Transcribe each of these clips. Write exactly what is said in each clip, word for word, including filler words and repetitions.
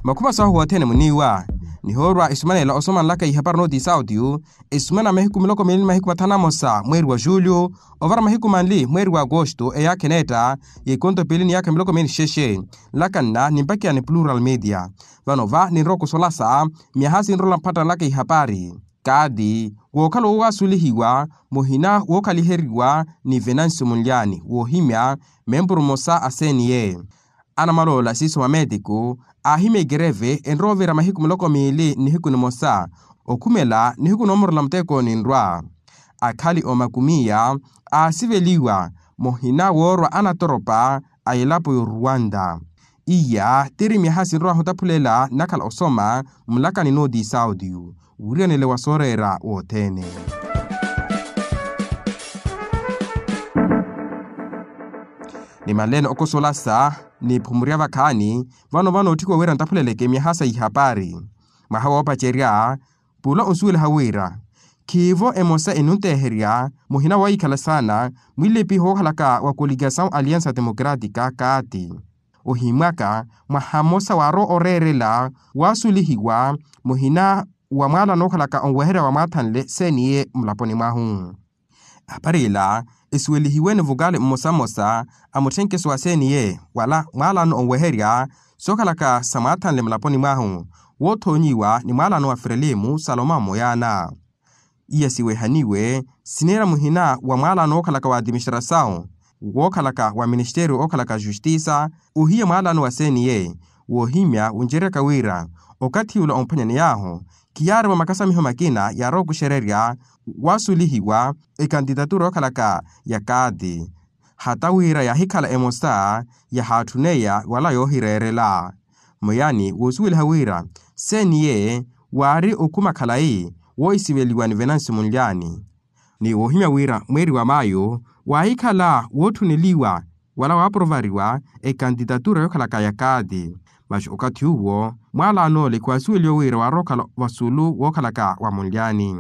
Makhuma sahu wothene muniiwa nihoorwa isumanela osomanlaka ihapari nooti sauti. Isumana mahiku miloko miili ni mahiku mathanu amosa mweeri wa julio, ovara mahiku manli mweeri wa agosto eyaakha eneetta, y'ikonto piili ni yaakha miloko miili ni xexe. Nlakanna nimpakiya ni plural media. Vano va ninrowa okusolasa myaha sinrola mphattanlaka ihapari. Kaati wookhala wowasulihiwa muhina wookhaliheriwa ni venancio munlyani woohimya, mempuru mmosa a cne. Anamaloola siiso mameetiku aahimya ekereve enrowa ovira mahiku miloko miili nihiku nimosa, okhumela nihiku noomorela muteko ninrwa. Akhali omakumiya aasiveliwa muhina woorwa anatoropa a elapo y'oruwanta. Iya tiri myaha sinrowa ohutaphulela nnakhala osoma mulakani nooti sauti. Wiriyanele wa sooreera wothene. Nimanleene okosolasa niphumurya vakhaani vano vano otthikwa wira ntaphuleleke myaha sa ihapari. Mwaha woopacerya pula onsuweliha wira khiivo emosa enunteherya muhina woyikhala saana mwilepiho wookhalaka wa koligasawu aliansa democratika kaati. Ohimwaka mwaha mmosa waarowa oreerela waasulihiwa muhina wa mwaalano ookhalaka onweherya wa mwaathanle cne mulaponi mwahu. Ehapari ila esuwelihiwe ni vokali mmosa mmosa a mutthenkeso wa cne wala mwaalano onweherya sookhalaka sa mwaathanle mulaponi mwahu woothoonyiwa ni mwaalano wa frelimu salomao moyaana. Iya siwehaniwe sineera muhina wa mwaalano wookhalaka wa atiministrasawu wookhalaka wa ministeriyo ookhalaka justisa ohiya mwaalano wa cne. Woohimya wuncereryaka wira okathi ula omphwanyaney'ahu khiyaari va makasamiho makina yaarowa okuxererya waasulihiwa ekantitatura yookhalaka ya kaati. Hata wira yaahikhala emosa yahaatthuneya wala yoohireerela. Moyani woosuweliha wira cne waari okhuma khalayi woohisiveliwa ni venancio munlyani. Ni woohimya wira mweeri wa mayo waahikhala wootthuneliwa wala waaporovariwa ekantitatura yookhalaka ya kaati. Masi okathi uwo mwaalano ole khwaasuweliwe wira waarowa okhala vasulu wookhalaka wa munlyani.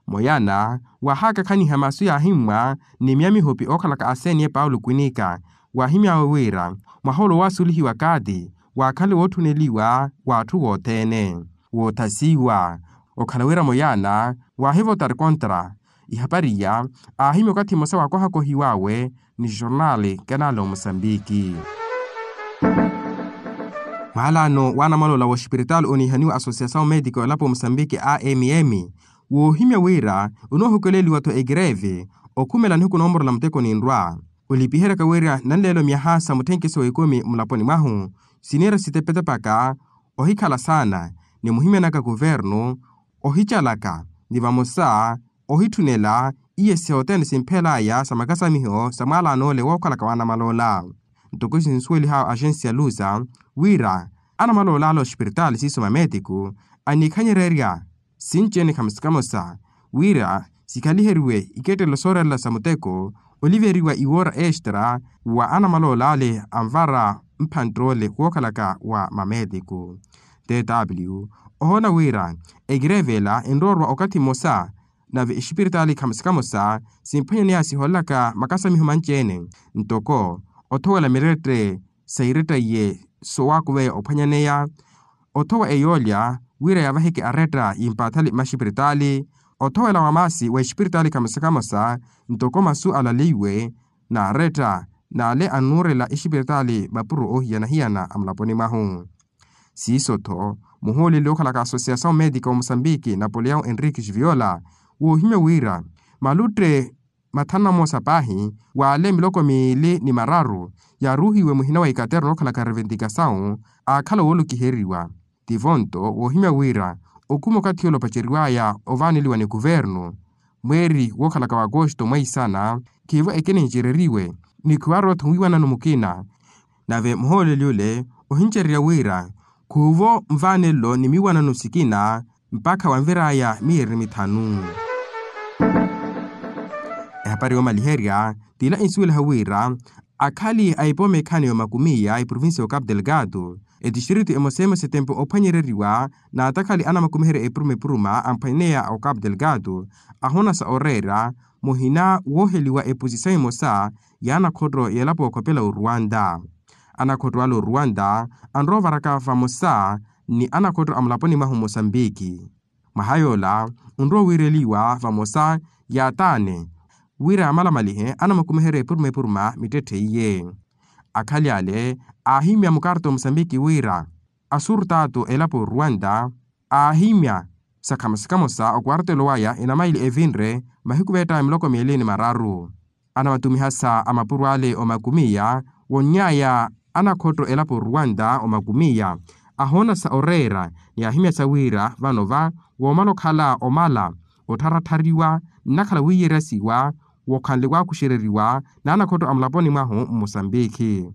Moyana waahakakhaniha masu yaahimmwa ni miyamihopi ookhalaka a cne paulo kwinika waahimy'awe wira mwaha ole owaasulihiwa kaati waakhale wootthuneliwa w'atthu wothene. Woothasiwa okhala wira moyana waahivotari kontra. Ihapari iya aahimya okathi mmosa waakohakohiw'awe ni jornali kanali omosambiki. Mwaalano w'anamaloola w'oxipiritali oniihaniwa asosiasawu meetiko elapo mosambiki a mm woohimya wira onoohukeleliwa-tho ekereve okhumela nihiku noomorela muteko ninrwa. Olipiheryaka wira nanleelo myaha sa mutthenkeso w'ekumi mulaponi mwahu siniira sitepetepaka ohikhala saana ni muhimyanaka kuvernu ohicalaka ni vamosa ohitthunela iye sothene simphelaya sa makasamiho sa mwaalano ole wookhalaka w'anamaloola. Ntoko sinsuwelih'awe axensi ya lusa wira anamaloola ale oxipiritaali siiso mameetiku aniikhanyererya sinci-ene khamosa khamosa wira sikhaliheriwe ikettelo sooreerela sa muteko oliveriwa iwoora extra wa anamaloola ale anvara mphantte ole wookhalaka wa mameetiku. Tw ohoona wira ekereve ela enroorwa okathi mmosa nave exipiritaali khamosa khamosa simphwanyaneya sihoolelaka makasamiho manci-ene ntoko othowela mirette sa iretta iye sowaakuveya ophwanyaneya othowa eyoolya wira yavaheke aretta y'impaathali maxipiritaali othowela wa maasi wa exipiritaali khamosa khamosa ntoko masu alaleiwe n'aretta n'ale anuurela exipiritaali mapuro oohiyana-hiyana a mulaponi mwahu. Siiso-tho muhooleli ookhalaka asosiasawu meetika wa mosambiki napoleão henrique giviola woohimya wira malutte mathanu na moosa paahi w'ale miloko miili ni mararu yaaruuhiwe muhina wa ikaterno ookhalaka reventikasawu aakhala woolukiheriwa. Tivonto woohimya wira okhuma okathi ole opaceriw'aya ovaaneliwa ni kuvernu mweeri wookhalaka wa agosto mwaisana khiivo ekinincereriwe ni khiwaarowa-tho wiiwanano mukina. Nave muhooleli ole ohincererya wira khuuvo nvaanelo ni miiwanano sikina mpakha wanvir'aya miyeeri mithanu. Ehapari yoomaliherya t'ila insuweliha wira akhali a epooma ekhani y'omakumiya eprovincia y'ocapo delgado etistritu emosemosa etempo ophwanyereriwa n'atakhali anamakumiherya epuruma epuruma amphwanyaneya ocapo delgado ahonasa oreera muhina wooheliwa eposisão emosa y'anakhotto y'elapo okhopela oruwanta. Anakhotto ale oruwanta anrowa ovaraka vamosa ni anakhotto a mulaponi mwahu mosambiki. Mwaha yoola onrowa owiireliwa vamosa yaataane wira yamalamalihe anamakumiherya epuruma epuruma mittetthe iye. Akhali ale aahimya mukarto mosambiki wira asurtato elapo ruwanta aahimya sakhamo sikhamosa okwartelo waya enamaili evinre mahiku veettawe miloko miili ni mararu. Anamatumihasa a mapuro ale omakumiya wonnyaya anakhotto elapo ruwanta omakumiya ahoonasa oreera ni ahimyasa wira vano va woomala okhala omala ottharatthariwa nnakhala wiiyeresiwa wokhanle waakuxereriwa n'anakhotto a mulaponi mwahu mmosambiki.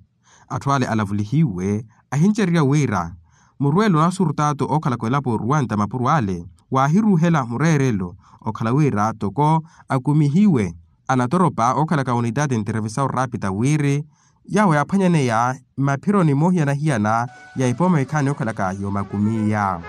Atthu ale alavulihiwe ahincererya wira murweelo n'asurtato ookhalaka elapo ruwanta mapuro ale waahiruuhela mureerelo okhala wira toko akumihiwe anatoropa ookhalaka unitati nterevisawu raapita wiri yaawo yaaphwanyaneya mmaphironi moohiyana-hiyana ya epooma ekhaani ookhalaka yoomakumiya.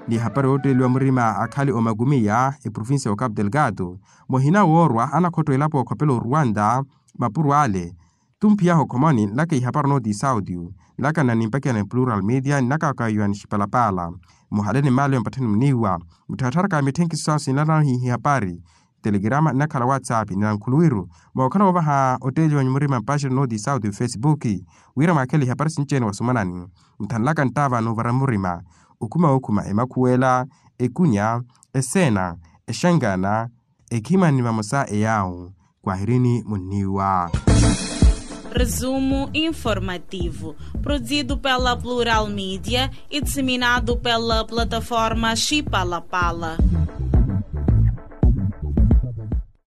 Ni ehapari ootteeliwa murima akhali omakumiya eprovincia ya okapu delgado muhina woorwa anakhotto elapo okhopela oruwanta mapuro ale. Tumphiyahu okhomoni nlaka ihapari onoti saudio nlaka nnanimpakiyana plural media nnaka kayowa nixipalapala muhale ni mmaalo ya mpatthani muniiwa muttharatharaka mitthenkiso sawo sinlanahi ihapari telegrama nnakhala whatsapp ni nankhuluwiru mookhala woovaha otteeliwa nyumurima mpaxiro onoti saudio facebook wira mwaakhele ihapari sinci-ene wasumanani muthanlaka nttaava n'uvara murima okhuma wookhuma emakhuwela ekunya eseena exangana ekhimani vamosa eyaawu. Kwahirini munniiwa. Resumo informativo, produzido pela Plural Media e disseminado pela plataforma Chipalapala.